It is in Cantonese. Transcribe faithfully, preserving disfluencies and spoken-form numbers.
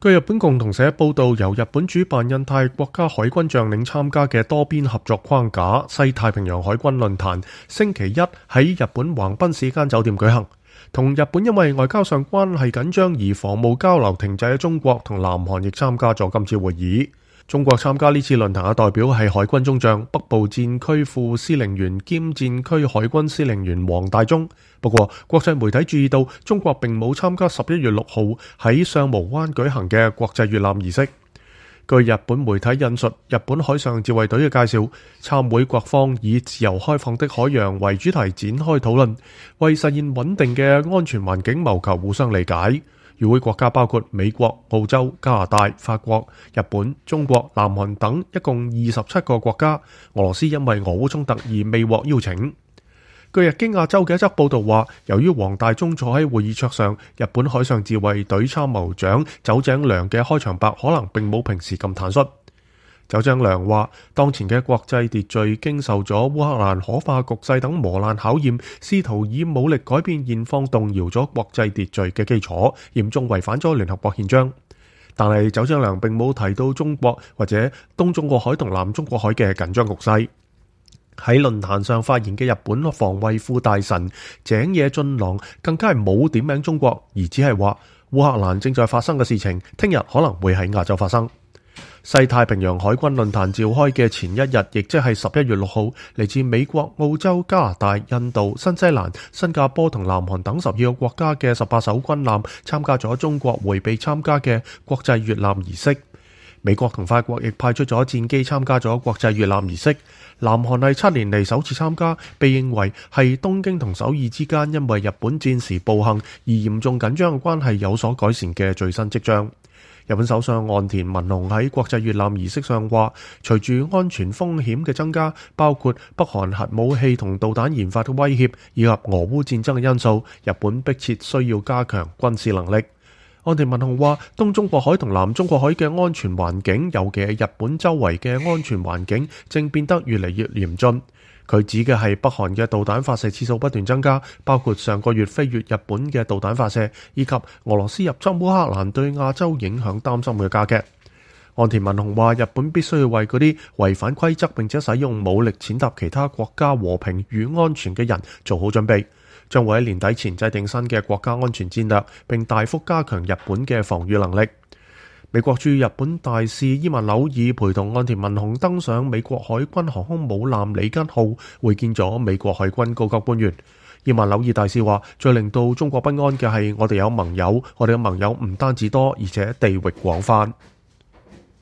據日本共同社報道，由日本主辦印太國家海軍將領參加嘅多邊合作框架西太平洋海軍論壇，星期一喺日本橫濱市間酒店舉行。同日本因為外交上關係緊張而防務交流停滯嘅中國同南韓亦參加咗今次會議。中國參加呢次論壇嘅代表係海軍中將、北部戰區副司令員兼戰區海軍司令員黃大中。不過，國際媒體注意到中國並冇參加十一月六號喺相模灣舉行嘅國際閱艦儀式。據日本媒體引述日本海上自衛隊嘅介紹，參會各方以自由開放的海洋為主題展開討論，為實現穩定嘅安全環境謀求互相理解。與會國家包括美國、澳洲、加拿大、法國、日本、中國、南韓等，一共二十七個國家。俄羅斯因為俄烏衝突而未獲邀請。據日經亞洲嘅一則報道話，由於黃大中坐喺會議桌上，日本海上自衛隊參謀長酒井良嘅開場白可能並冇平時咁坦率。酒井良話，當前嘅國際秩序經受咗烏克蘭可化局勢等磨難考驗，試圖以武力改變現況，動搖咗國際秩序嘅基礎，嚴重違反咗聯合國憲章。但係酒井良並冇提到中國或者東中國海同南中國海嘅緊張局勢。喺論壇上發言嘅日本防衛副大臣井野俊郎更加係冇點名中國，而只係話烏克蘭正在發生嘅事情，聽日可能會喺亞洲發生。西太平洋海軍論壇召開嘅前一日，亦即係十一月六號，嚟自美國、澳洲、加拿大、印度、新西蘭、新加坡同南韓等十二個國家嘅十八艘軍艦參加咗中國迴避參加嘅國際閱艦儀式。美國同法國亦派出咗戰機參加咗國際閱艦儀式。南韓係七年嚟首次參加，被認為係東京同首爾之間因為日本戰時暴行而嚴重緊張嘅關係有所改善嘅最新跡象。日本首相岸田文雄喺國際閱艦儀式上話，隨住安全風險嘅增加，包括北韓核武器同導彈研發嘅威脅，以及俄烏戰爭嘅因素，日本迫切需要加強軍事能力。岸田文雄話，東中國海同南中國海嘅安全環境，尤其係日本周圍嘅安全環境，正變得越嚟越嚴峻。佢指嘅係北韓嘅導彈發射次數不斷增加，包括上個月飛越日本嘅導彈發射，以及俄羅斯入侵烏克蘭對亞洲影響擔心嘅加劇。岸田文雄話，日本必須要為嗰啲違反規則並且使用武力踐踏其他國家和平與安全嘅人做好準備，將會喺年底前制定新嘅國家安全戰略，並大幅加強日本嘅防禦能力。美國駐日本大使伊萬紐爾陪同岸田文雄登上美國海軍航空母艦里根號，會見咗美國海軍高級官員。伊萬紐爾大使話，最令到中國不安嘅係我哋有盟友，我哋嘅盟友唔單止多，而且地域廣泛。